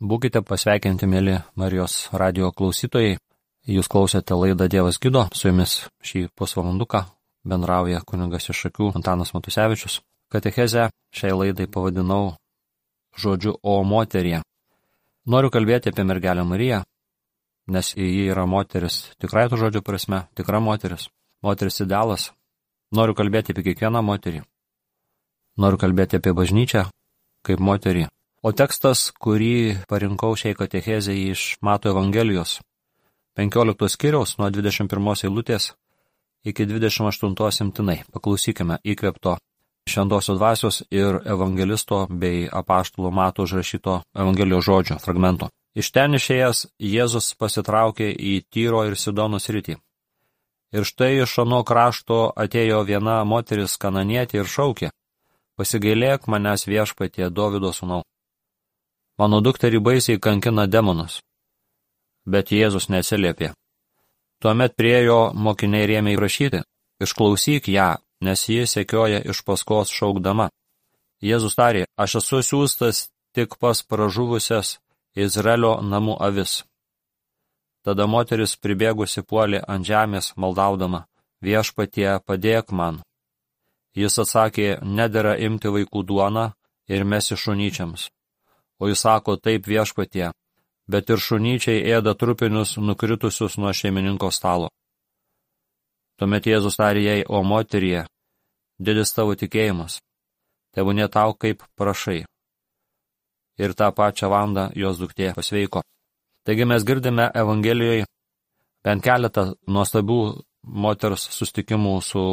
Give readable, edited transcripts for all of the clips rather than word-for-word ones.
Būkite pasveikinti, mėly Marijos radio klausytojai. Jūs klausėte laidą Dievas gydo. Su jumis šį pusvalanduką bendrauja kunigas iš Šakių Antanas Matusevičius. Katechezę šiai laidai pavadinau žodžiu O moterie. Noriu kalbėti apie mergelę Mariją, nes ji yra moteris tikrai to žodžio prasme, tikra moteris, moteris idealas. Noriu kalbėti apie kiekvieną moterį. Noriu kalbėti apie bažnyčią kaip moterį. O tekstas, kurį parinkau šiai katechezei iš Mato Evangelijos 15 skyriaus nuo 21 eilutės iki 28 imtinai. Paklausykime įkvėpto šventosios dvasios ir evangelisto bei apaštalo Mato užrašyto Evangelijos žodžio fragmento. Iš ten išėjęs Jėzus pasitraukė į Tyro ir Sidono sritį. Ir štai iš ano krašto atėjo viena moteris kananietė ir šaukė: pasigailėk manęs viešpatie, Dovydo sūnau. Mano dukterį baisiai kankina demonas. Bet Jėzus neatsiliepė. Tuomet priėjo mokiniai ir ėmė prašyti: išklausyk ją, nes ji sekioja iš paskos šaukdama. Jėzus tarė: aš esu siųstas tik pas pražuvusias Izraelio namų avis. Tada moteris pribėgusi puolė ant žemės maldaudama: viešpatie, padėk man. Jis atsakė: nedera imti vaikų duoną ir mesti šunyčiams. O jis sako: taip, viešpatie, bet ir šunyčiai ėda trupinius nukritusius nuo šeimininko stalo. Tuomet Jėzus tarė jai: o moterie, didis tavo tikėjimas, tebūnie tau kaip prašai. Ir tą pačią valandą jos duktė pasveiko. Taigi mes girdime Evangelijoje bent keletą nuostabių moters susitikimų su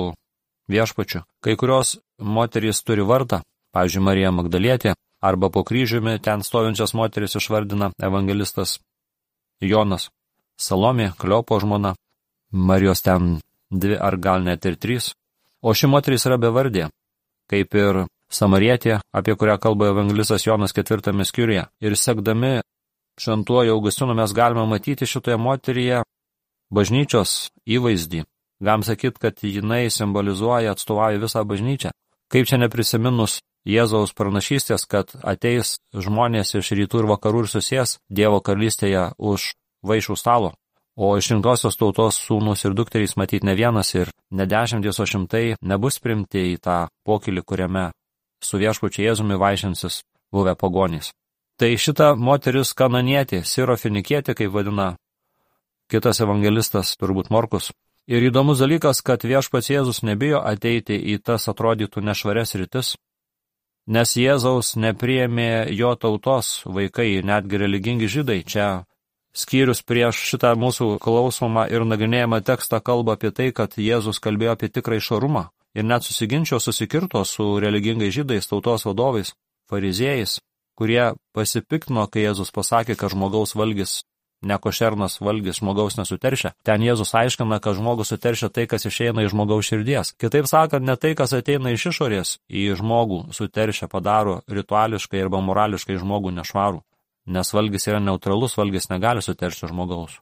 viešpačiu. Kai kurios moterys turi vardą, pavyzdžiui, Marija Magdalietė, arba po kryžiumi ten stovinčias moteris išvardina evangelistas Jonas. Salomė, Kleopo žmona, Marijos ten 2 ar gal net ir 3. O ši moteris yra bevardė, kaip ir Samarietė, apie kurią kalba evangelistas Jonas 4 skyriuje. Ir sekdami šventuoju Augustinu mes galime matyti šitoje moteryje bažnyčios įvaizdį. Galim sakyti, kad jinai simbolizuoja, atstovauja visą bažnyčią. Kaip čia neprisiminus Jėzaus pranašystės, kad ateis žmonės iš rytų ir vakarų ir susės Dievo karalystėje už vaišių stalo. O išrinktosios tautos sūnus ir dukterys matyt ne vienas ir ne 10, o 100 nebus primti į tą pokylį, kuriame su viešpačiu Jėzumi vaišinsis buvę pagonys. Tai šita moteris kananietė, sirofinikietė, kaip vadina kitas evangelistas, turbūt Morkus. Ir įdomus dalykas, kad viešpats Jėzus nebijo ateiti į tas atrodytų nešvarias rytis, nes Jėzaus nepriėmė jo tautos vaikai, netgi religingi žydai. Čia skyrius prieš šitą mūsų klausomą ir nagrinėjamą tekstą kalba apie tai, kad Jėzus kalbėjo apie tikrą išorumą ir net susikirto su religingais žydais, tautos vadovais, fariziejais, kurie pasipiktino, kai Jėzus pasakė, kad žmogaus valgis, nekošernas valgis žmogaus nesuteršia. Ten Jėzus aiškina, kad žmogus suteršia tai, kas išeina iš žmogaus širdies. Kitaip sakant, ne tai, kas ateina iš išorės į žmogų suteršia, padaro rituališkai arba morališkai žmogų nešvarų. Nes valgis yra neutralus, valgis negali suteršti žmogaus.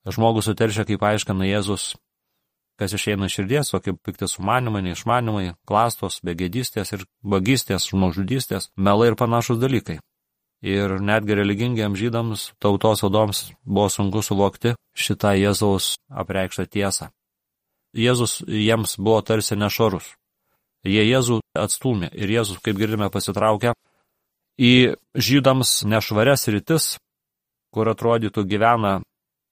Žmogus suteršia, kaip aiškina Jėzus, kas išeina iš širdies, o kaip pikti sumanimai, neišmanimai, klastos, begėdystės ir vagystės, žmogžudystės, melai ir panašus dalykai. Ir netgi religingiams žydams, tautos vadoms buvo sunku suvokti šitą Jėzaus apreikštą tiesą. Jėzus jiems buvo tarsi nešvarus. Jie Jėzų atstūmė ir Jėzus, kaip girdime, pasitraukė į žydams nešvarias rytis, kur atrodytų gyvena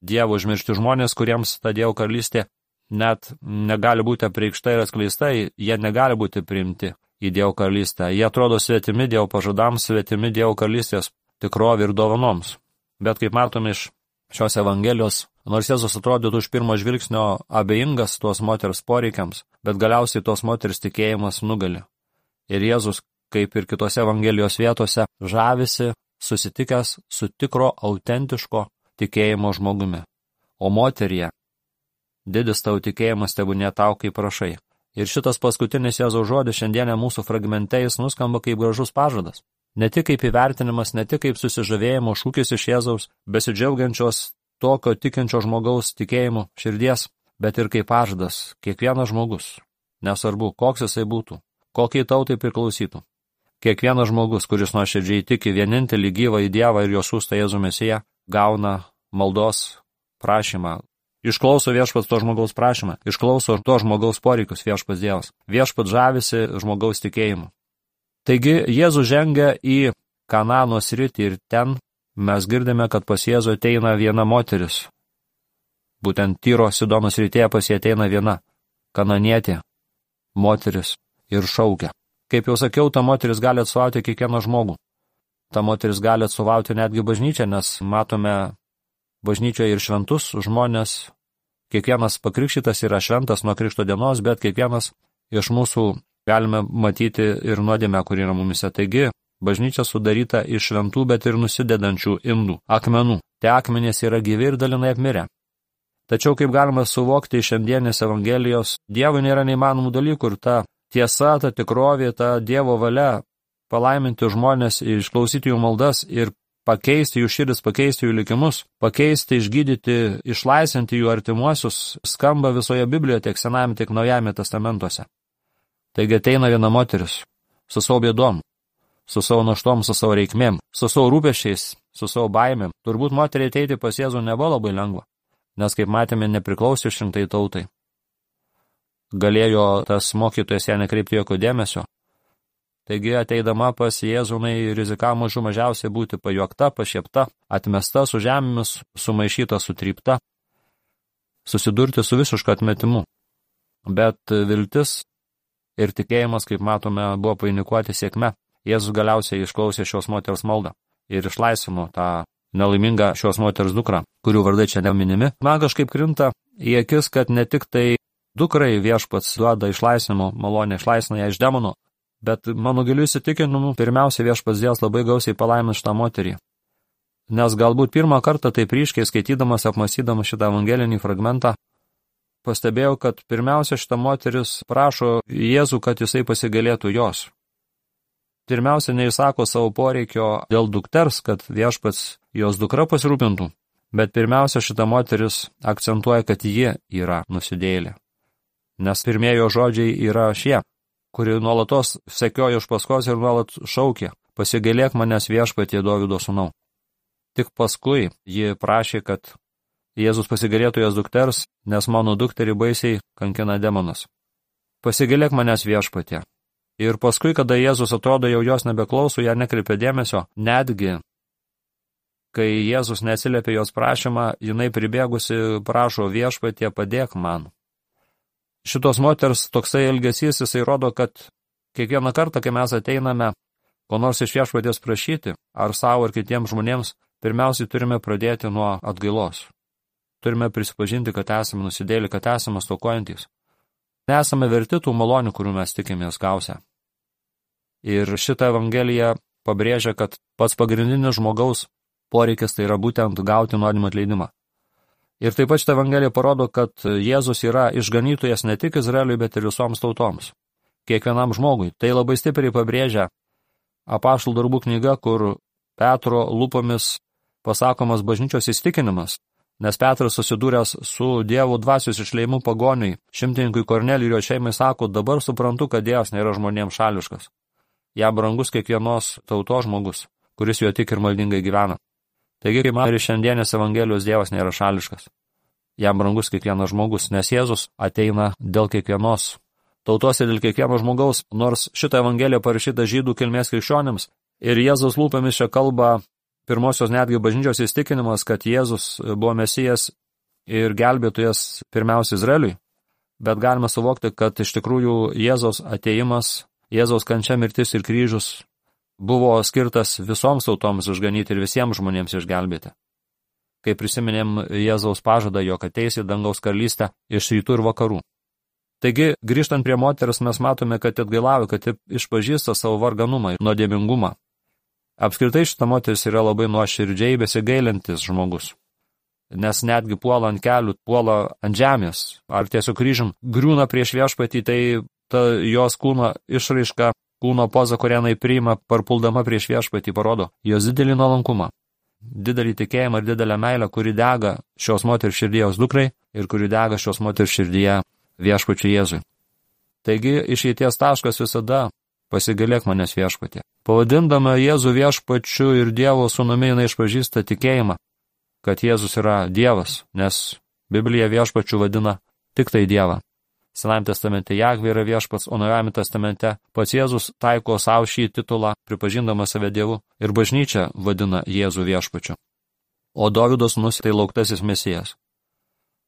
Dievo užmiršti žmonės, kuriems ta Dievo karalystė net negali būti apreikšta ir atskleista, jie negali būti priimti į Dievo karalystę. Jie atrodo svetimi Dievo pažadams, svetimi Dievo karalystės tikrovė ir dovanoms. Bet kaip matome iš šios Evangelijos, nors Jėzus atrodytų iš pirmo žvilgsnio abejingas tuos moters poreikiams, bet galiausiai tos moters tikėjimas nugali. Ir Jėzus, kaip ir kitose Evangelijos vietose, žavisi susitikęs su tikro autentiško tikėjimo žmogumi. O moterie, didis tavo tikėjimas tebūnie tau kaip prašai. Ir šitas paskutinis Jėzaus žodis šiandienė mūsų fragmente jis nuskamba kaip gražus pažadas. Ne tik kaip įvertinimas, ne tik kaip susižavėjimo šūkis iš Jėzaus, besidžiaugiančios tokio tikinčio žmogaus tikėjimu širdies, bet ir kaip pažadas kiekvienas žmogus, nesvarbu, koks jisai būtų, kokiai tautai priklausytų, Kiekvienas žmogus, kuris nuoširdžiai tiki vienintelį gyvą į Dievą ir jo siųstą Jėzų Mesiją, gauna maldos prašymą. Išklauso viešpats to žmogaus prašymą, išklauso to žmogaus poreikius viešpats Dievas. Viešpats žavisi žmogaus tikėjimu. Taigi Jėzus žengia į Kanano sritį ir ten mes girdime, kad pas Jėzų ateina viena moteris. Būtent Tyro Sidono srityje pas jį ateina viena kananietė moteris ir šaukia. Kaip jau sakiau, ta moteris gali atstovauti kiekvieną žmogų. Ta moteris gali atstovauti netgi bažnyčią, nes matome bažnyčioje ir šventus žmonės. Kiekvienas pakrikštytas yra šventas nuo krikšto dienos, bet kiekvienas iš mūsų galime matyti ir nuodėmę, kuri yra mumise. Taigi, bažnyčia sudaryta iš šventų, bet ir nusidedančių indų, akmenų. Tie akmenys yra gyvi ir dalinai apmirę. Tačiau, kaip galima suvokti iš šiandienės Evangelijos, Dievui nėra neįmanomų dalykų ir ta tiesa, ta tikrovė, ta Dievo valia palaiminti žmonės, išklausyti jų maldas ir pakeisti jų širdis, pakeisti jų likimus, pakeisti, išgydyti, išlaisvinti jų artimuosius, skamba visoje Biblijoje, tiek Senajame, tiek Naujajame testamentuose. Taigi ateina viena moteris su savo bėdom, su savo naštom, su savo reikmėm, su savo rūpesčiais, su savo baimėm. Turbūt moteriai ateiti pas Jėzų nebuvo labai lengva, nes, kaip matėme, nepriklausė šimtai tautai. Galėjo tas mokytojas ją nekreipti jokio dėmesio. Taigi, ateidama pas Jėzų, jinai rizikavo mažų mažiausiai būti pajuokta, pašiepta, atmesta su žemėmis, sumaišyta, sutrypta, susidurti su visišku atmetimu. Bet viltis ir tikėjimas, kaip matome, buvo painikuoti sėkme. Jėzus galiausiai išklausė šios moters maldą ir išlaisvino tą nelaimingą šios moters dukrą, kurių vardai čia neminimi. Man kažkaip krinta į akis, kad ne tik tai dukrai viešpats duoda išlaisvinimo malonę, išlaisvina ją iš demonų, bet mano giliu įsitikinimu, pirmiausia viešpats Dievas labai gausiai palaimins šitą moterį. Nes galbūt pirmą kartą taip ryškiai skaitydamas, apmąstydamas šitą evangelinį fragmentą, pastebėjau, kad pirmiausia šita moteris prašo Jėzų, kad jisai pasigailėtų jos. Pirmiausia, neįsako savo poreikio dėl dukters, kad viešpats jos dukra pasirūpintų, bet pirmiausia šita moteris akcentuoja, kad ji yra nusidėjėlė. Nes pirmiejo žodžiai yra šie, kuri nuolatos sekioja iš paskos ir nuolat šaukė, pasigailėk manęs viešpatie Dovydo sūnau. Tik paskui ji prašė, kad Jėzus pasigailėtų jos dukters, nes mano dukterį baisiai kankina demonas. Pasigailėk manęs viešpatie. Ir paskui, kada Jėzus atrodo jau jos nebeklauso, ją nekreipia dėmesio, netgi, kai Jėzus neatsiliepia jos prašymą, jinai pribėgusi prašo viešpatie padėk man. Šitos moters toksai elgesys, jisai rodo, kad kiekvieną kartą, kai mes ateiname, ko nors iš viešpaties prašyti, ar savo ar kitiems žmonėms, pirmiausiai turime pradėti nuo atgailos. Turime prisipažinti, kad esame nusidėlį, kad esame stokojantys. Nesame verti tų malonių, kurių mes tikimės gausia. Ir šitą evangeliją pabrėžia, kad pats pagrindinis žmogaus poreikis tai yra būtent gauti nuodėmių atleidimą. Ir taip pat šitą evangeliją parodo, kad Jėzus yra išganytojas ne tik Izraeliui, bet ir visoms tautoms. Kiekvienam žmogui. Tai labai stipriai pabrėžia Apaštalų darbų knyga, kur Petro lūpomis pasakomas bažnyčios įstikinimas, nes Petras susidūręs su Dievo dvasios išleimu pagoniui, šimtininkui Kornelijui ir jo šeimai sako, dabar suprantu, kad Dievas nėra žmonėms šališkas. Jam brangus kiekvienos tautos žmogus, kuris jo tik ir maldingai gyvena. Taigi, kaip matome, šiandienės Evangelijos Dievas nėra šališkas. Jam brangus kiekvienas žmogus, nes Jėzus ateina dėl kiekvienos tautos ir dėl kiekvieno žmogaus, nors šitą Evangeliją parašyta žydų kilmės krikščionims. Ir Jėzus lūpomis čia kalba pirmosios netgi bažnyčios įstikinimas, kad Jėzus buvo Mesijas ir gelbėtojas pirmiausia Izraeliui. Bet galime suvokti, kad iš tikrųjų Jėzaus ateimas, Jėzaus kančia, mirtis ir kryžius buvo skirtas visoms tautoms išganyti ir visiems žmonėms išgelbėti. Kai prisiminėm Jėzaus pažadą, jog ateis į dangaus karalystę iš rytų ir vakarų. Taigi, grįžtant prie moters, mes matome, kad atgailauja, kad išpažįsta savo varganumą ir nuodėmingumą. Apskritai šita moteris yra labai nuoširdžiai besigailintis žmogus. Nes netgi puola ant kelių, puola ant žemės, ar tiesiog kryžium griūna prieš viešpatį, tai ta jos kūno išraiška, kūno poza, kurią jinai priima, parpuldama prieš viešpatį, parodo jos didelį nuolankumą, didelį tikėjimą ir didelę meilę, kuri dega šios moters širdyje jos dukrai ir kuri dega šios moters širdyje viešpačiui Jėzui. Taigi išeities taškas visada pasigailėk manęs viešpatie. Pavadindama Jėzų viešpačiu ir Dievo sūnumi, jinai išpažįsta tikėjimą, kad Jėzus yra Dievas, nes Biblija viešpačiu vadina tik tai Dievą. Senajame testamente Jahvė yra viešpats, o Naujajame testamente pats Jėzus taiko savo šį titulą, pripažindamas save Dievu, ir bažnyčia vadina Jėzų viešpačiu. O Dovydo sūnus tai lauktasis Mesijas.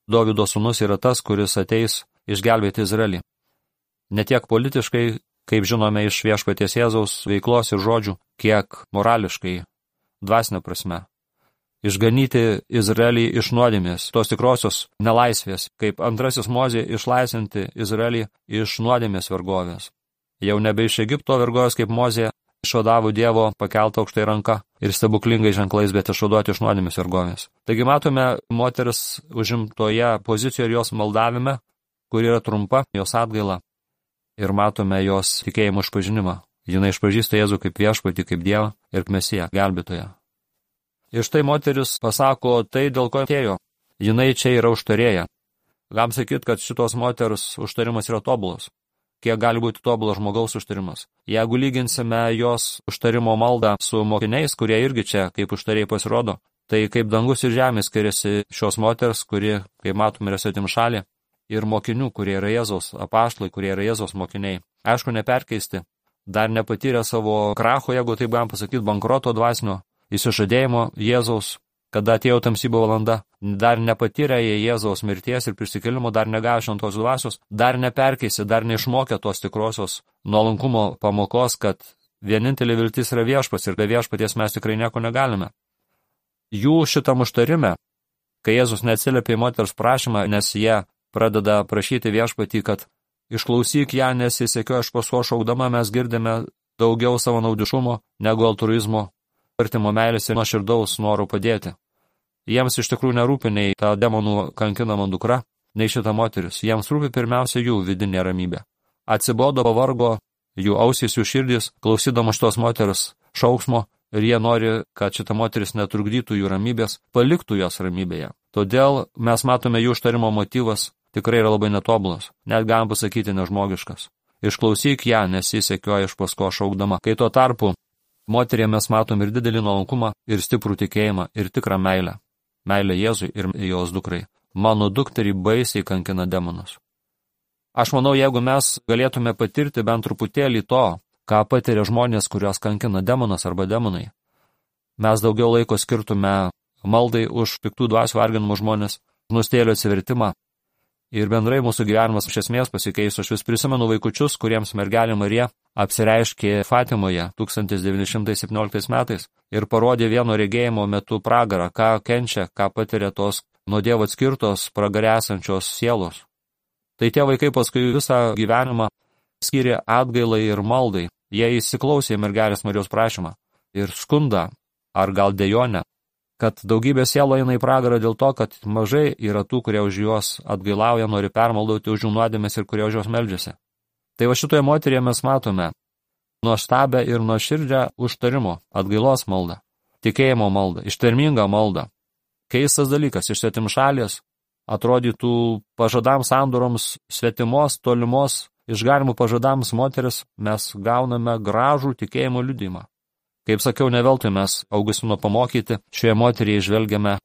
Dovydo sūnus yra tas, kuris ateis išgelbėti Izraelį. Ne tiek politiškai, kaip žinome iš viešpaties Jėzaus veiklos ir žodžių, kiek morališkai, dvasinė prasme. Išganyti Izraelį iš nuodėmės, tos tikrosios nelaisvės, kaip antrasis Mozė išlaisvinti Izraelį iš nuodėmės vergovės. Jau nebe iš Egipto vergovės, kaip Mozė išvadavo Dievo pakeltą aukštai ranką ir stebuklingai ženklais, bet išvaduoti iš nuodėmės vergovės. Taigi matome moteris užimtoje pozicijoje ir jos maldavime, kuri yra trumpa, jos atgaila, ir matome jos tikėjimo išpažinimą. Jinai išpažįsta Jėzų kaip viešpatį, kaip Dievą ir Mesiją, gelbėtoją. Ir štai moteris pasako tai, dėl ko atėjo. Jinai čia yra užtarėja. Galim sakyti, kad šitos moters užtarimas yra tobulas. Kiek gali būti tobulas žmogaus užtarimas? Jeigu lyginsime jos užtarimo maldą su mokiniais, kurie irgi čia kaip užtarėjai pasirodo, tai kaip dangus ir žemė skiriasi šios moters, kuri, kaip matome, yra svetimšalė, ir mokinių, kurie yra Jėzaus apaštalai, kurie yra Jėzaus mokiniai. Aišku, neperkeisti. Dar nepatyrė savo kracho, jeigu taip galim pasakyti, bankroto dvasinio, įsižadėjimo Jėzaus, kada atėjo tamsybo valanda, dar nepatyrė jie Jėzaus mirties ir prisikėlimo, dar negavo šventos dvasios, dar neperkeisi, dar neišmokė tos tikrosios nuolankumo pamokos, kad vienintelė viltis yra viešpats ir be viešpaties mes tikrai nieko negalime. Jų šitam užtarime, kai Jėzus neatsiliepė į moters prašymą, nes jie pradeda prašyti viešpatį, kad išklausyk ją, nes jis sekio iš paskos šaukdama, mes girdime daugiau savo naudiškumo negu altruizmo, artimo meilės ir nuoširdaus norų padėti. Jiems iš tikrųjų nerūpi nei ta demonų kankinama dukra, nei šita moteris. Jiems rūpi pirmiausia jų vidinė ramybė. Atsibodo, pavargo jų ausys, jų širdis, klausydama šitos moters šauksmo, ir jie nori, kad šita moteris netrukdytų jų ramybės, paliktų jos ramybėje. Todėl mes matome jų užtarimo motyvas tikrai yra labai netobulas, net galim pasakyti nežmogiškas. Išklausyk ją, nes jis sekioja iš paskos šaukdama, kai tuo tarpu moterie mes matom ir didelį nuolankumą, ir stiprų tikėjimą, ir tikrą meilę. Meilę Jėzui ir jos dukrai. Mano dukterį baisiai kankina demonas. Aš manau, jeigu mes galėtume patirti bent truputėlį to, ką patiria žmonės, kurios kankina demonas arba demonai, mes daugiau laiko skirtume maldai už piktų dvasių varginamų žmonės, nustėlio atsivertimą. Ir bendrai mūsų gyvenimas iš esmės pasikeis. Aš vis prisimenu vaikučius, kuriems mergelė Marija apsireiškė Fatimoje 1917 metais ir parodė vieno regėjimo metu pragarą, ką kenčia, ką patiria tos nuo Dievo atskirtos pragare esančios sielos. Tai tie vaikai paskui visą gyvenimą skiria atgailai ir maldai. Jie įsiklausė mergelės Marijos prašymą ir skundą, ar gal dejonę, kad daugybė sielų eina į pragarą dėl to, kad mažai yra tų, kurie už juos atgailauja, nori permaldauti už jų nuodėmes ir kurie už juos meldžiasi. Tai va šitoje moteryje mes matome nuostabę ir nuoširdžią užtarimo, atgailos maldą, tikėjimo maldą, ištvermingą maldą. Keistas dalykas, iš svetimšalės atrodytų pažadams sandoroms svetimos, tolimos, išgarimų pažadams moteris mes gauname gražų tikėjimo liudijimą. Kaip sakiau, neveltui mes Augustino pamokyti, šioje moteryje žvelgiame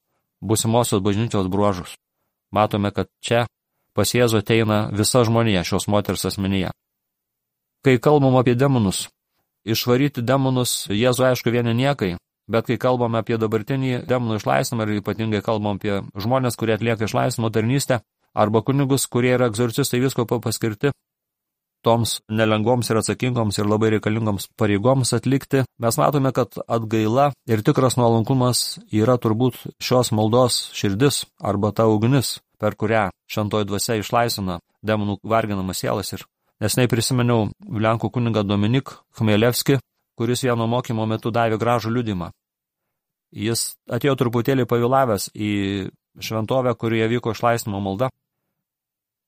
būsimosios bažnyčios bruožus. Matome, kad čia pas Jėzų ateina visa žmonija šios moters asmenyje. Kai kalbam apie demonus, išvaryti demonus Jėzų aišku vieni niekai, bet kai kalbam apie dabartinį demonų išlaisvimą ir ypatingai kalbam apie žmonės, kurie atlieka išlaisvimo tarnystę, arba kunigus, kurie yra egzorcistai vyskupo paskirti, toms nelengvoms ir atsakingoms ir labai reikalingoms pareigoms atlikti, mes matome, kad atgaila ir tikras nuolankumas yra turbūt šios maldos širdis arba ta ugnis, per kurią šventoji dvasia išlaisvina demonų varginamas sielas. Ir nesnei prisiminiau Lenkų kunigą Dominik Chmielevskį, kuris vieno mokymo metu davė gražų liudimą. Jis atėjo truputėlį pavėlavęs į šventovę, kurioje vyko išlaisvinimo malda,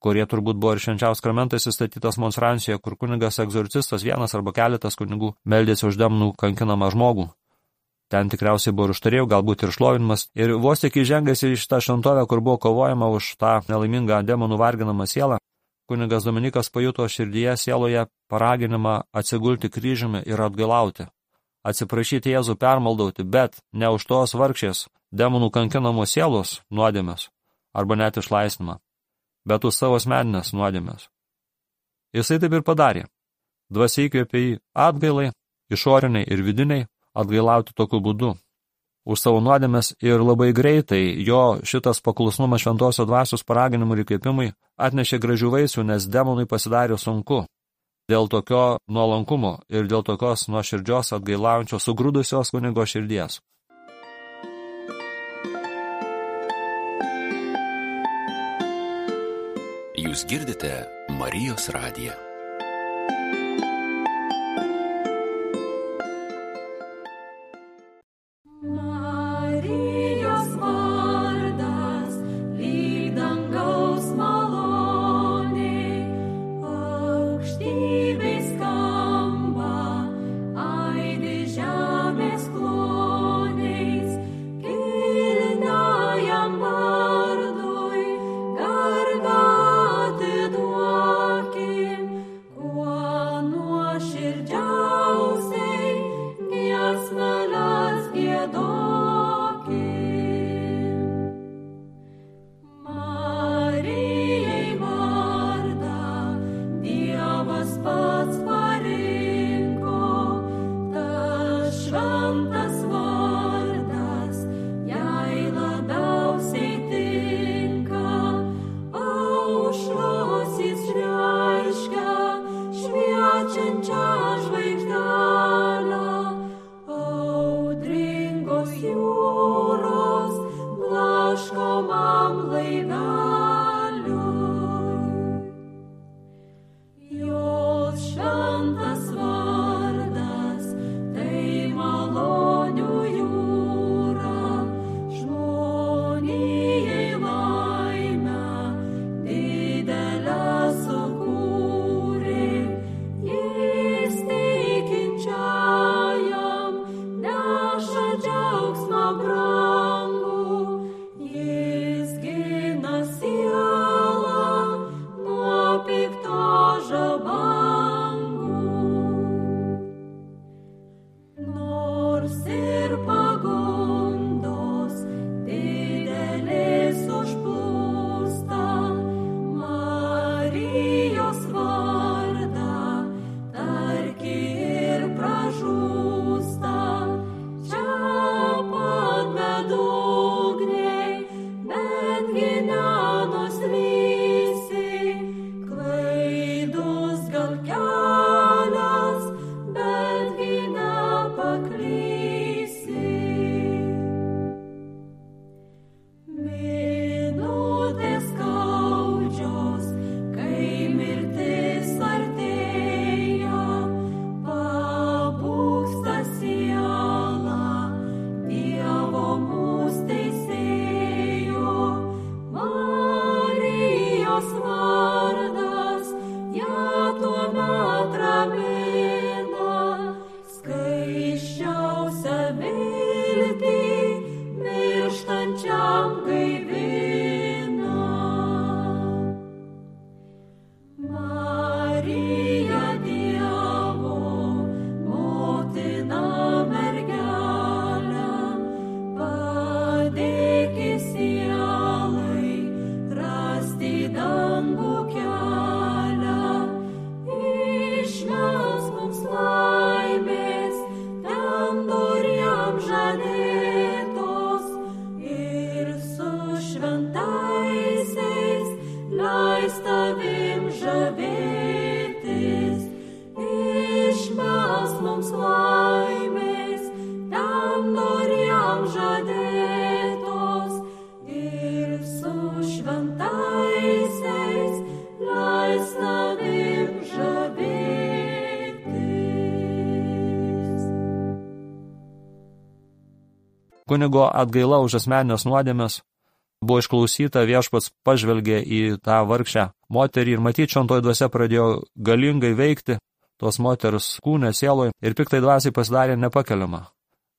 kurie turbūt buvo ir švenčiaus sakramentas įstatytas Monstrancijoje, kur kunigas egzorcistas, vienas arba keletas kunigų, meldėsi už demonų kankinamą žmogų. Ten tikriausiai buvo ir užtarėjų, galbūt ir šlovinimas. Ir vos tik įžengęs į šitą šventovę, kur buvo kovojama už tą nelaimingą demonų varginamą sielą, kunigas Dominikas pajuto širdyje sieloje paraginimą atsigulti kryžiumi ir atgailauti, atsiprašyti Jėzų permaldauti, bet ne už tos vargšės demonų kankinamos sielos nuodėmės arba net išlaisvinimą, bet už savo asmeninės nuodėmės. Jisai taip ir padarė. Dvasia įkvėpė jį atgailai, išoriniai ir vidiniai, atgailauti tokiu būdu už savo nuodėmės ir labai greitai jo šitas paklusnumas šventosios dvasios paraginimui ir įkvėpimui atnešė gražių vaisių, nes demonui pasidarė sunku. Dėl tokio nuolankumo ir dėl tokios nuoširdžios atgailaujančios sugrūdusios kunigo širdies. Jūs girdite Marijos radiją. Kunigo atgaila už asmeninės nuodėmės buvo išklausyta, viešpats pažvelgė į tą vargšę moterį ir matyti šventoji dvasia pradėjo galingai veikti tos moters kūne, sieloje ir piktai dvasiai pasidarė nepakeliama.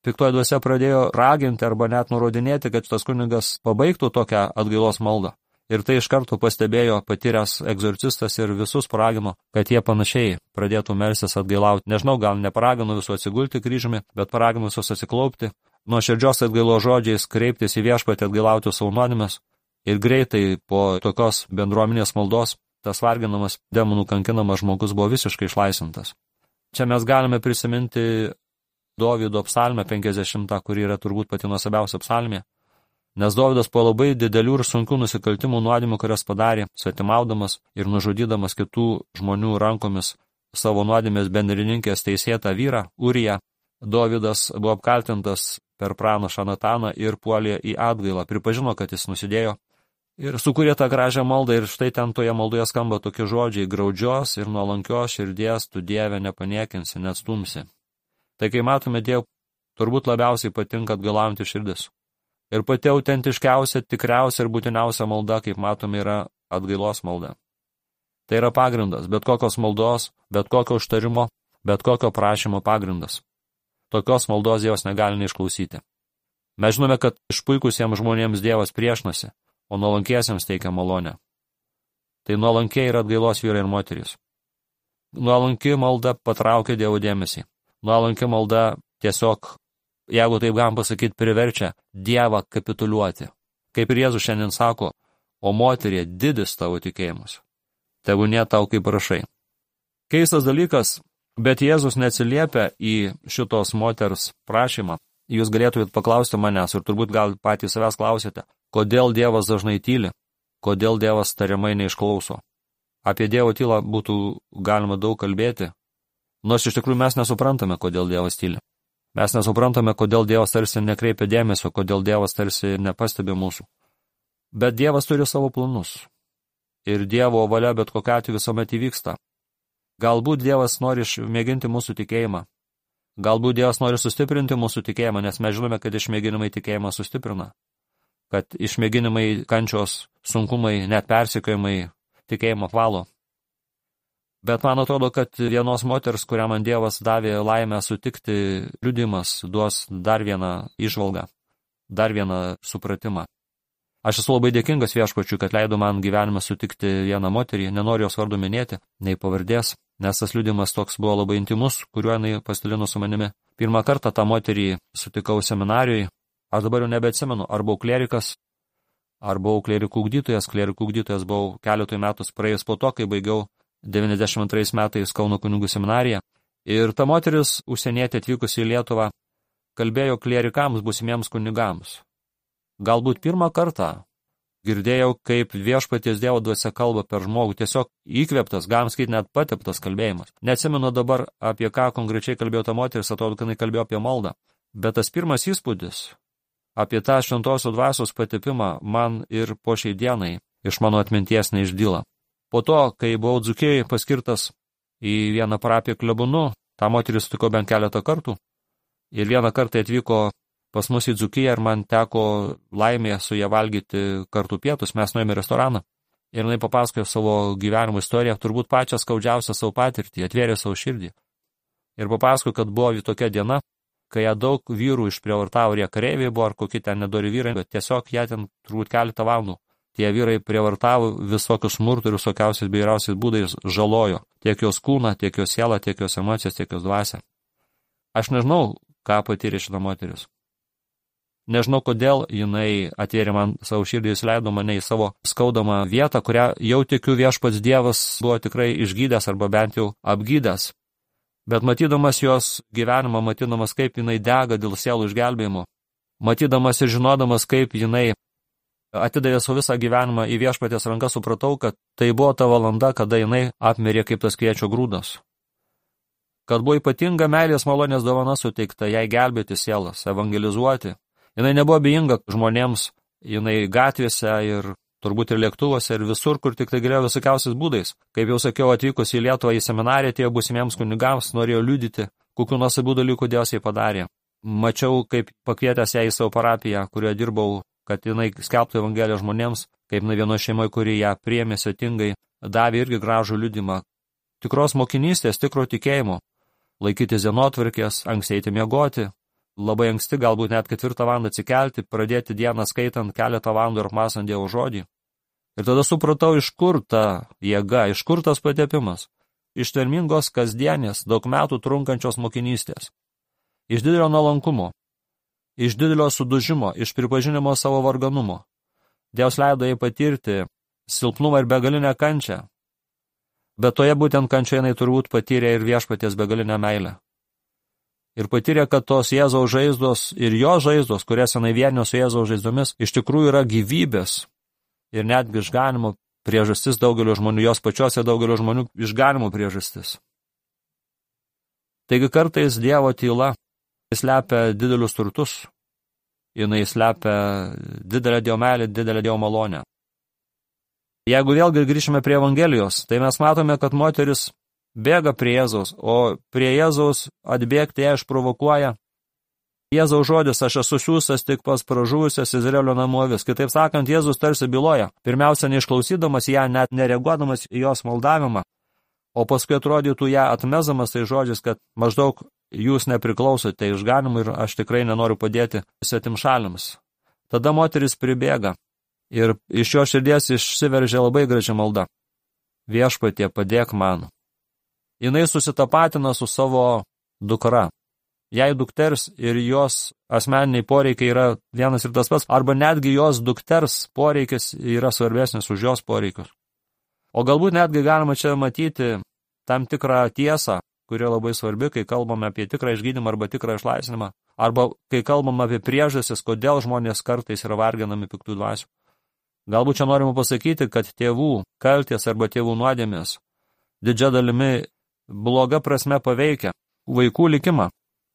Piktoji dvasia pradėjo raginti arba net nurodinėti, kad tas kunigas pabaigtų tokią atgailos maldą. Ir tai iš karto pastebėjo patyręs egzorcistas ir visus paragino, kad jie panašiai pradėtų melstis atgailauti. Nežinau, gal neparagino visų atsigulti kryžiumi, bet paragino visus atsiklaupti, nuo širdžios atgailo žodžiais kreiptis į viešpatį atgailauti savo nuodėmes. Ir greitai po tokios bendruomenės maldos tas varginamas, demonų kankinamas žmogus buvo visiškai išlaisvintas. Čia mes galime prisiminti Dovydo psalmę 50, kuri yra turbūt pati nuostabiausia psalmė. Nes Dovydas po labai didelių ir sunkių nusikaltimų nuodėmių, kurias padarė, svetimaudamas ir nužudydamas kitų žmonių rankomis savo nuodėmės bendrininkės teisėtą vyrą, Uriją, Dovydas buvo apkaltintas per pranašą Nataną ir puolė į atgailą, pripažino, kad jis nusidėjo ir sukūrė tą gražią maldą ir štai ten toje maldoje skamba tokie žodžiai: graudžios ir nuolankios širdies tu Dieve nepaniekinsi, neatstumsi. Tai kai matome Dievą, turbūt labiausiai patinka atgailaujanti širdis. Ir pati autentiškiausia, tikriausia ir būtiniausia malda, kaip matome, yra atgailos malda. Tai yra pagrindas, bet kokios maldos, bet kokio užtarimo, bet kokio prašymo pagrindas. Tokios maldos Dievas negali neišklausyti. Mes žinome, kad išpuikusiems žmonėms Dievas priešinasi, o nuolankiesiems teikia malonę. Tai nuolankiai yra atgailos vyrai ir moterys. Nuolanki malda patraukia Dievo dėmesį. Nuolanki malda tiesiog, jeigu taip galim pasakyti, priverčia Dievą kapituliuoti. Kaip ir Jėzus šiandien sako, o moterie, didis tavo tikėjimas. Tebūnie tau kaip prašai. Keistas dalykas, bet Jėzus neatsiliepia į šitos moters prašymą. Jūs galėtumėt paklausti manęs ir turbūt gal patys savęs klausite, kodėl Dievas dažnai tyli, kodėl Dievas tariamai neišklauso. Apie Dievo tylą būtų galima daug kalbėti, nors iš tikrųjų mes nesuprantame, kodėl Dievas tyli. Mes nesuprantame, kodėl Dievas tarsi nekreipia dėmesio, kodėl Dievas tarsi nepastebi mūsų. Bet Dievas turi savo planus. Ir Dievo valia bet kokiu atveju visuomet įvyksta. Galbūt Dievas nori išmėginti mūsų tikėjimą. Galbūt Dievas nori sustiprinti mūsų tikėjimą, nes mes žinome, kad išmėginimai tikėjimą sustiprina. Kad išmėginimai, kančios, sunkumai, net persekiojimai tikėjimą apvalo. Bet man atrodo, kad vienos moters, kurią man Dievas davė laimę sutikti, liudimas duos dar vieną įžvalgą, dar vieną supratimą. Aš esu labai dėkingas viešpačiui, kad leido man gyvenime sutikti vieną moterį, nenoriu jos vardu minėti, nei pavardės, nes tas liudimas toks buvo labai intimus, kuriuo jinai pasidalino su manimi. Pirmą kartą tą moterį sutikau seminarijoje, aš dabar jau nebeatsimenu, ar buvau klerikas, ar buvau klerikų ugdytojas. Klerikų ugdytojas buvau keletui metus praėjus po to, kai baigiau 92 metais Kauno kunigų seminariją. Ir ta moteris, užsienietė atvykusi į Lietuvą, kalbėjo klerikams, būsimiems kunigams. Galbūt pirmą kartą girdėjau, kaip viešpaties Dievo dvasia kalba per žmogų, tiesiog įkvėptas, galim sakyti, net pateptas kalbėjimas. Neatsimenu dabar, apie ką konkrečiai kalbėjo ta moteris, atrodo, kad jinai kalbėjo apie maldą. Bet tas pirmas įspūdis apie tą šventosios dvasios patepimą man ir po šiai dienai iš mano atminties neišdyla. Po to, kai buvau Dzūkijoje paskirtas į vieną parapiją klebonu, tą moterį sutiko bent keletą kartų. Ir vieną kartą atvyko pas mus į Dzūkiją ir man teko laimė su ją valgyti kartu pietus. Mes nuėjome į restoraną ir jinai papasakojo savo gyvenimo istoriją, turbūt pačią skaudžiausią savo patirtį, atvėrė savo širdį. Ir papasakojo, kad buvo tokia diena, kai ją daug vyrų išprievartavo, ir jie kareiviai buvo, ar kokie ten nedori vyrai, bet tiesiog ją ten turbūt keletą valandų. Tie vyrai prievartavo visokius smurtų ir visokiausiais beiriausiais būdais žalojo tiek jos kūną, tiek jos sielą, tiek jos emocijas, tiek jos dvasią. Aš nežinau, ką patyrė šita moteris. Nežinau, kodėl jinai atvėrė man savo širdį, jis leido mane į savo skaudamą vietą, kurią jau tikiu viešpats Dievas buvo tikrai išgydęs arba bent jau apgydęs. Bet matydamas jos gyvenimą, matydamas, kaip jinai dega dėl sielų išgelbėjimo, matydamas ir žinodamas, kaip jinai atidavė savo visą gyvenimą į viešpaties rankas, supratau, kad tai buvo ta valanda, kada jinai apmirė kaip tas kviečio grūdas. Kad buvo ypatinga meilės malonės dovana suteikta jai gelbėti sielas, evangelizuoti. Jinai nebuvo abejinga žmonėms, jinai gatvėse ir turbūt ir lėktuvose ir visur, kur tik tai galėjo visokiausiais būdais. Kaip jau sakiau, atvykus į Lietuvą į seminariją, tie būsimiems kunigams norėjo liudyti, kokių nuostabių dalykų Dievas jai padarė. Mačiau, kaip pakvietęs ją į savo parapiją, kurioje dirbau, kad jinai skelbtų evangeliją žmonėms, kaip vieno šeimoje, kuri ją priėmė svetingai, davė irgi gražų liudimą. Tikros mokinystės, tikro tikėjimo, laikytis dienotvarkės, anksti eiti miegoti, labai anksti, galbūt net 4 valandą atsikelti, pradėti dieną skaitant keletą valandų ir apmąstant Dievo žodį. Ir tada supratau, iš kur ta jėga, iš kur tas patepimas. Iš tvermingos kasdienės, daug metų trunkančios mokinystės. Iš didelio nuolankumo, iš didelio sudužimo, iš pripažinimo savo varganumo. Dievas leido jai patirti silpnumą ir begalinę kančią. Bet toje būtent kančioje jinai turbūt patyrė ir viešpaties begalinę meilę. Ir patyrė, kad tos Jėzaus žaizdos ir jo žaizdos, kurias jinai vienio su Jėzaus žaizdomis, iš tikrųjų yra gyvybės ir netgi išganimo priežastis daugelio žmonių, jos pačiose daugelio žmonių išganimo priežastis. Taigi kartais Dievo tyla slepia didelius turtus, jinai slepia didelę Dievo meilę, didelę Dievo malonę. Jeigu vėlgi grįžime prie Evangelijos, tai mes matome, kad moteris bėga prie Jėzaus, o prie Jėzaus atbėgti ją išprovokuoja Jėzaus žodis, aš esu siųstas tik pas pražuvusias Izraelio namų avis. Kitaip sakant, Jėzus tarsi byloja, pirmiausia neišklausydamas ją, net nereaguodamas į jos maldavimą, o paskui atrodytų ją atmesamas tai žodžiais, kad maždaug jūs nepriklausote išganimui ir aš tikrai nenoriu padėti svetimšaliams. Tada moteris pribėga ir iš jo širdies išsiveržia labai graži malda. Viešpatie, padėk man. Jinai susitapatina su savo dukra. Jei dukters ir jos asmeniniai poreikiai yra vienas ir tas pats, arba netgi jos dukters poreikis yra svarbesnis už jos poreikius. O galbūt netgi galima čia matyti tam tikrą tiesą, kuri labai svarbi, kai kalbame apie tikrą išgydymą arba tikrą išlaisvinimą, arba kai kalbame apie priežastis, kodėl žmonės kartais yra varginami piktų dvasių. Galbūt čia norime pasakyti, kad tėvų kaltės arba tėvų nuodėmės didžia dalimi bloga prasme paveikia vaikų likimą.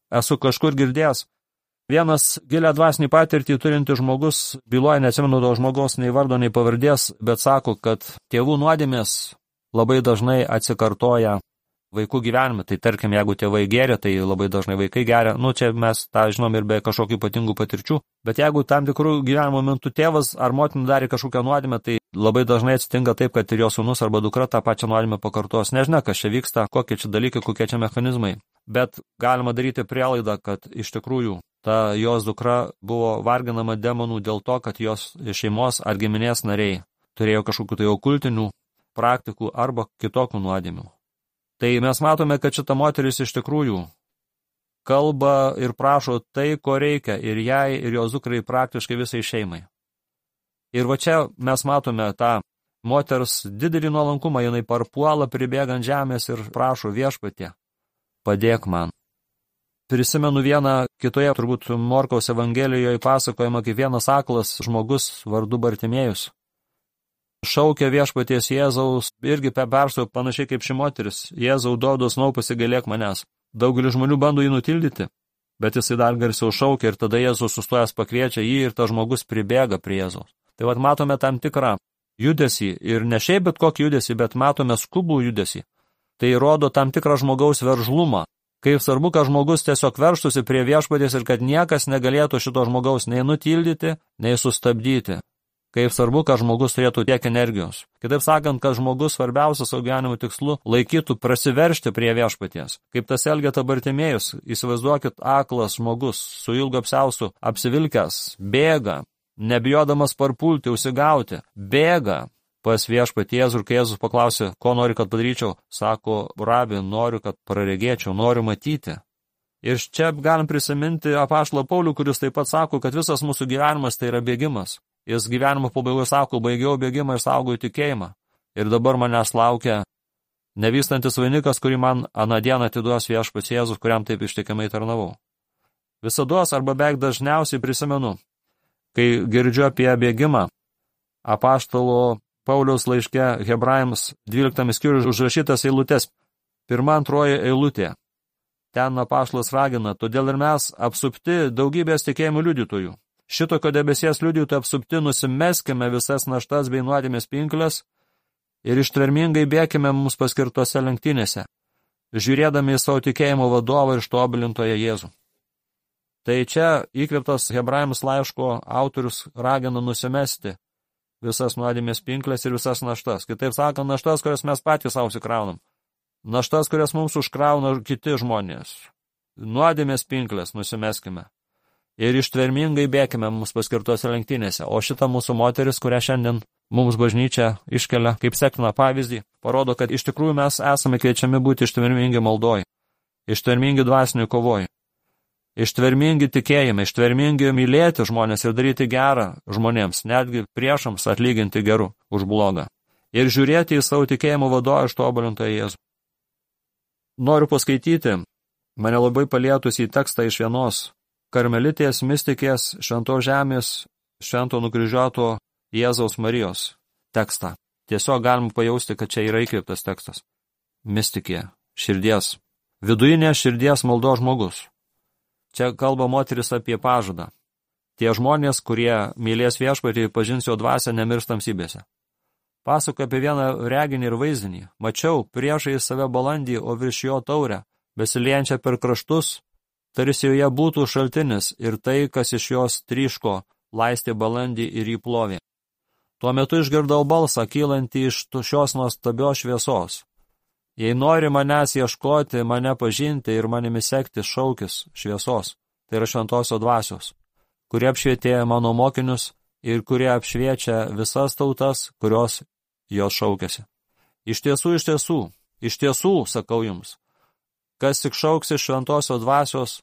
Esu kažkur girdėjęs, vienas gilę dvasinį patirtį turinti žmogus, byloja, neatsimenu to žmogaus nei vardo, nei pavardės, bet sako, kad tėvų nuodėmės labai dažnai atsikartoja vaikų gyvenime. Tai tarkim, jeigu tėvai geria, tai labai dažnai vaikai geria. Čia mes tą žinom ir be kažkokių ypatingų patirčių. Bet jeigu tam tikrų gyvenimo momentų tėvas ar motina darė kažkokią nuodėmę, tai labai dažnai atsitinka taip, kad ir jo sūnus arba dukra tą pačią nuodėmę pakartos. Nežinia, kas čia vyksta, kokie čia dalykai, kokie čia mechanizmai. Bet galima daryti prielaidą, kad iš tikrųjų ta jos dukra buvo varginama demonų dėl to, kad jos šeimos ar giminės nariai turėjo kažkokių tai okultinių praktikų arba kitokių nuodėmių. Tai mes matome, kad šita moteris iš tikrųjų kalba ir prašo tai, ko reikia ir jai, ir jos dukrai, praktiškai visai šeimai. Ir va čia mes matome tą moters didelį nuolankumą, jinai parpuola pribėgant žemės ir prašo viešpatie, padėk man. Prisimenu vieną kitoje, turbūt Morkaus Evangelijoje pasakojama, kaip vienas aklas žmogus vardu Bartimėjus šaukia viešpaties Jėzaus, irgi persuoja panašiai kaip ši moteris. Jėzau, duodu sūnau, pasigailėk manęs. Daugelis žmonių bando jį nutildyti, bet jisai dar garsiau šaukia ir tada Jėzus sustojęs pakviečia jį ir tas žmogus pribėga prie Jėzaus. Tai vat matome tam tikrą judesį ir ne šiaip bet kokį judesį, bet matome skubų judesį. Tai rodo tam tikrą žmogaus veržlumą. Kaip svarbu, kad žmogus tiesiog veržtųsi prie viešpaties ir kad niekas negalėtų šito žmogaus nei nutildyti, nei sustabdyti. Kaip svarbu, kad žmogus turėtų tiek energijos. Kitaip sakant, kad žmogus svarbiausias savo gyvenimo tikslu laikytų prasiveržti prie viešpaties. Kaip tas Elgeta Bartimėjus, įsivaizduokit, aklas žmogus su ilgu apsiaustu apsivilkęs, bėga, nebijodamas parpulti, užsigauti, bėga pas viešpatį Jėzų, ir kai Jėzus paklausė, ko nori, kad padaryčiau, sako, rabi, noriu, kad praregėčiau, noriu matyti. Ir čia galim prisiminti apaštalą Paulių, kuris taip pat sako, kad visas mūsų gyvenimas tai yra bėgimas. Jis gyvenimo pabaigoje sako, baigiau bėgimą ir saugojau tikėjimą. Ir dabar manęs laukia nevystantis vainikas, kurį man aną dieną atiduos viešpats Jėzus, kuriam taip ištikimai tarnavau. Visados arba beveik dažniausiai prisimenu, kai girdžiu apie bėgimą, apaštalo Pauliaus laiške Hebrajams 12 skyriuje užrašytas eilutes, 1-2 eilutė. Ten apaštalas ragina, todėl ir mes apsupti daugybės tikėjimų liudytojų. Šitokio debesies liudytojų apsupti nusimeskime visas naštas bei nuodėmės pinkles ir ištvermingai bėkime mums paskirtose lenktynėse, žiūrėdami į savo tikėjimo vadovą ir ištobulintoją Jėzų. Tai čia įkvėptas Hebrajams laiško autorius ragina nusimesti visas nuodėmės pinkles ir visas naštas. Kitaip sakant, naštas, kurias mes patys savo užsikraunam. Naštas, kurias mums užkrauna kiti žmonės. Nuodėmės pinkles nusimeskime. Ir ištvermingai bėkime mums paskirtose lenktynėse. O šita mūsų moteris, kurią šiandien mums bažnyčia iškelia kaip sektiną pavyzdį, parodo, kad iš tikrųjų mes esame kviečiami būti ištvermingi maldoj, ištvermingi dvasinių kovoj, ištvermingi tikėjime, ištvermingi mylėti žmonės ir daryti gerą žmonėms, netgi priešams atlyginti geru už blogą. Ir žiūrėti į savo tikėjimo vadovą ištobulintą Jėzų. Noriu paskaityti mane labai palietus į tekstą iš vienos karmelitės mistikės šventos žemės švento nukryžiuoto Jėzaus Marijos tekstą. Tiesiog galim pajausti, kad čia yra įkvėptas tekstas. Mistikė, širdies, vidujinė širdies maldos žmogus. Čia kalba moteris apie pažadą. Tie žmonės, kurie mylės viešpatį, pažins jo dvasią nemirs tamsybėse. Pasakoja apie vieną reginį ir vaizdinį. Mačiau priešai save balandį, o virš jo taurę, besiliejančią per kraštus, tarsi joje būtų šaltinis ir tai, kas iš jos tryško, laistė balandį ir jį plovė. Tuo metu išgirdau balsą, kylantį iš šios nuostabios šviesos. Jei nori manęs ieškoti, mane pažinti ir manimi sekti, šaukis šviesos, tai yra šventosios dvasios, kurie apšvietė mano mokinius ir kurie apšviečia visas tautas, kurios jos šaukėsi. Iš tiesų, sakau jums, kas tik šauksi šventosios dvasios,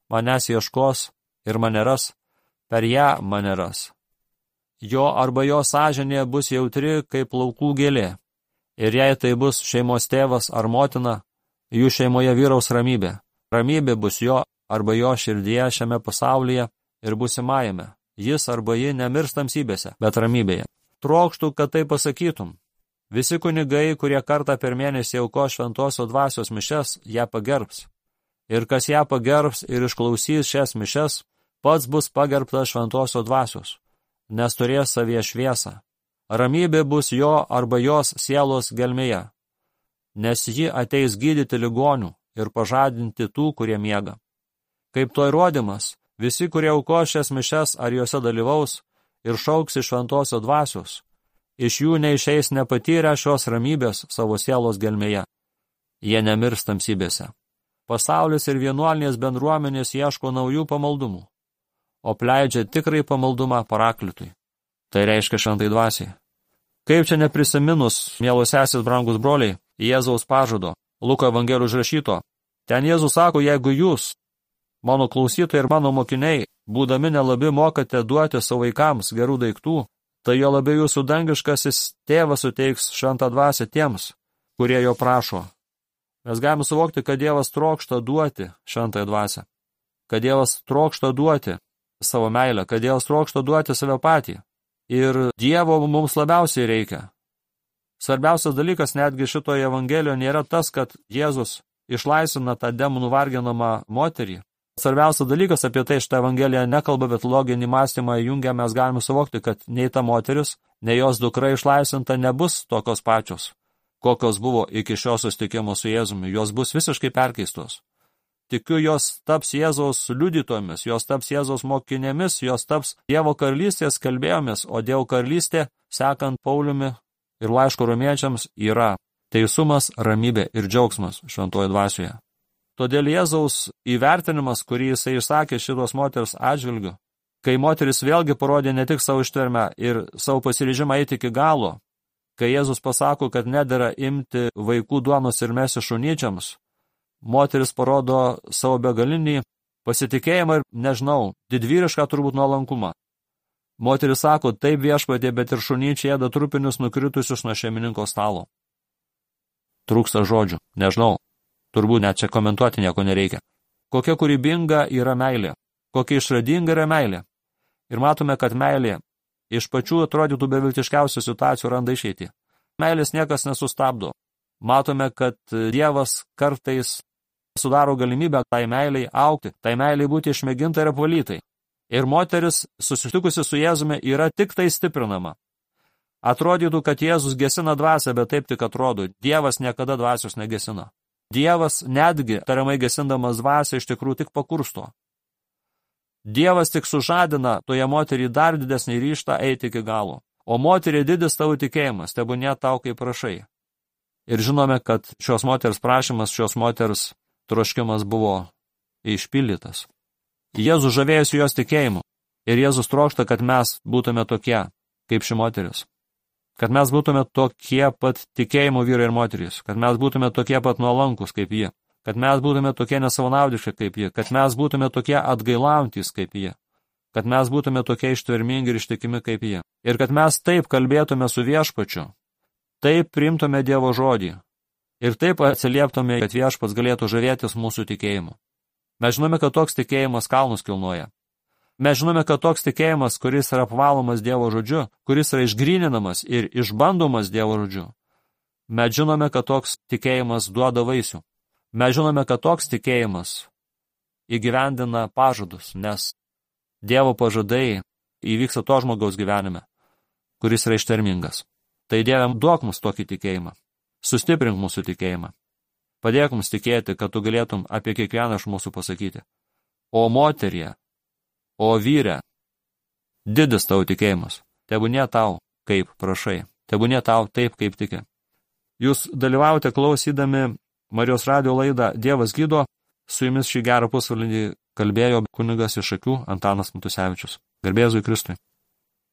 manęs ieškos ir mane ras, per ją mane ras. Jo arba jo sąžinė bus jautri kaip laukų gėlė. Ir jei tai bus šeimos tėvas ar motina, jų šeimoje vyraus ramybė. Ramybė bus jo arba jo širdyje šiame pasaulyje ir būsimajame. Jis arba ji nemirs tamsybėse, bet ramybėje. Trokštų, kad tai pasakytum. Visi kunigai, kurie kartą per mėnesį aukos šventosios dvasios mišes, ją pagerbs. Ir kas ją pagerbs ir išklausys šias mišes, pats bus pagerbtas šventosios dvasios, nes turės savyje šviesą. Ramybė bus jo arba jos sielos gelmėje, nes ji ateis gydyti ligonių ir pažadinti tų, kurie miega. Kaip to įrodymas, visi, kurie aukos šias mišes ar juose dalyvaus ir šauks iš šventosios dvasios, iš jų neišeis nepatyrę šios ramybės savo sielos gelmėje. Jie nemirs tamsybėse. Pasaulis ir vienuolinės bendruomenės ieško naujų pamaldumų, o pleidžia tikrai pamaldumą paraklitui. Tai reiškia šventai dvasiai. Kaip čia neprisiminus, mielos sesės, brangus broliai, Jėzaus pažado, Luko evangelijos užrašyto. Ten Jėzus sako, jeigu jūs, mano klausytojai ir mano mokiniai, būdami nelabi mokate duoti savo vaikams gerų daiktų, tai jo labiau jūsų dangiškasis tėvas suteiks šventą dvasią tiems, kurie jo prašo. Mes galime suvokti, kad Dievas trokšta duoti šventąją dvasią, kad Dievas trokšta duoti savo meilę, kad Dievas trokšta duoti save patį. Ir Dievo mums labiausiai reikia. Svarbiausias dalykas netgi šitoje evangelijoje nėra tas, kad Jėzus išlaisvina tą demonų varginamą moterį. Svarbiausias dalykas apie tai šitą evangeliją nekalba, bet loginį mąstymą jungia, mes galime suvokti, kad nei ta moteris, nei jos dukra išlaisvinta nebus tokios pačios, kokios buvo iki šio susitikimo su Jėzumi. Jos bus visiškai perkeistos. Tikiu, jos taps Jėzaus liudytomis, jos taps Jėzaus mokinėmis, jos taps Dievo karalystės kalbėjomis, o Dievo karalystė, sekant Pauliumi ir laiško romiečiams, yra teisumas, ramybė ir džiaugsmas šventoje dvasioje. Todėl Jėzaus įvertinimas, kurį jisai išsakė šitos moters atžvilgiu, kai moteris vėlgi parodė ne tik savo ištvermę ir savo pasiryžimą eiti iki galo, kai Jėzus pasako, kad nedera imti vaikų duonos ir mesti šunyčiams, moteris parodo savo begalinį pasitikėjimą ir, didvyrišką turbūt nuolankumą. Moteris sako, taip viešpatie, bet ir šunyčiai ėda trupinius nukritusius nuo šeimininko stalo. Trūksta žodžių, turbūt net čia komentuoti nieko nereikia. Kokia kūrybinga yra meilė, kokia išradinga yra meilė. Ir matome, kad meilė iš pačių atrodytų beviltiškiausių situacijų randa išeitį. Meilės niekas nesustabdo. Matome, kad Dievas kartais sudaro galimybę tai meiliai augti, tai meiliai būti išmėginta ir apvalytai. Ir moteris, susitikusi su Jėzumi, yra tik tai stiprinama. Atrodytų, kad Jėzus gesina dvasią, bet taip tik atrodo. Dievas niekada dvasios negesina. Dievas netgi, tariamai gesindamas dvasią, iš tikrųjų tik pakursto. Dievas tik sužadina toje moterį dar didesnį ryžtą eiti iki galo. O moterį didis tavo tikėjimas, tebūnie tau kaip prašai. Ir žinome, kad šios moters prašymas, šios moters troškimas buvo išpildytas. Jėzus žavėjosi jos tikėjimu ir Jėzus trokšta, kad mes būtume tokie, kaip ši moteris. kad mes būtume tokie pat tikėjimo vyrai ir moterys, kad mes būtume tokie pat nuolankus kaip jie, kad mes būtume tokie nesavanaudiški kaip jie, kad mes būtume tokie atgailaujantis kaip jie, kad mes būtume tokie ištvermingi ir ištikimi kaip jie. Ir kad mes taip kalbėtume su viešpačiu, taip priimtume Dievo žodį ir taip atsilieptume, kad viešpats galėtų žavėtis mūsų tikėjimu. Mes žinome, kad toks tikėjimas kalnus kilnoja. Mes žinome, kad toks tikėjimas, kuris yra apvalomas Dievo žodžiu, kuris yra išgryninamas ir išbandomas Dievo žodžiu, mes žinome, kad toks tikėjimas duoda vaisių. Mes žinome, kad toks tikėjimas įgyvendina pažadus, nes Dievo pažadai įvyksta to žmogaus gyvenime, kuris yra ištvermingas. Tai Dieve, duok mums tokį tikėjimą, sustiprink mūsų tikėjimą, padėk mums tikėti, kad tu galėtum apie kiekvieną iš mūsų pasakyti. O moterie, o vyre, didis tavo tikėjimas, tebūnie tau, kaip prašai, tebūnie tau taip, kaip tiki. Jūs dalyvaujate klausydami Marijos radijo laidą Dievas gydo, su jumis šį gerą pusvalandį kalbėjo kunigas iš Šakių Antanas Matusevičius. Garbė Jėzui Kristui.